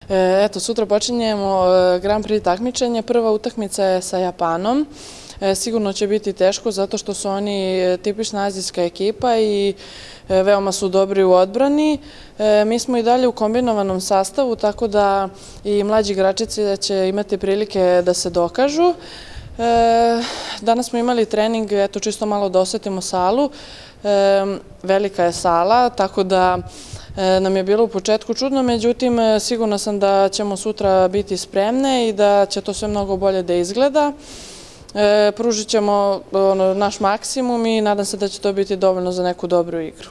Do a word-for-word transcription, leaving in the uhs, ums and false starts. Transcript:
Eto, sutra počinjemo Grand Prix takmičenje. Prva utakmica je sa Japanom. Sigurno će biti teško zato što su oni tipična azijska ekipa i veoma su dobri u odbrani. Mi smo i dalje u kombinovanom sastavu, tako da i mlađi igračici će imati prilike da se dokažu. Danas smo imali trening, eto čisto malo da osetimo salu. Velika je sala, tako da nam je bilo u početku čudno, međutim sigurna sam da ćemo sutra biti spremne i da će to sve mnogo bolje da izgleda. Pružit ćemo naš maksimum i nadam se da će to biti dovoljno za neku dobru igru.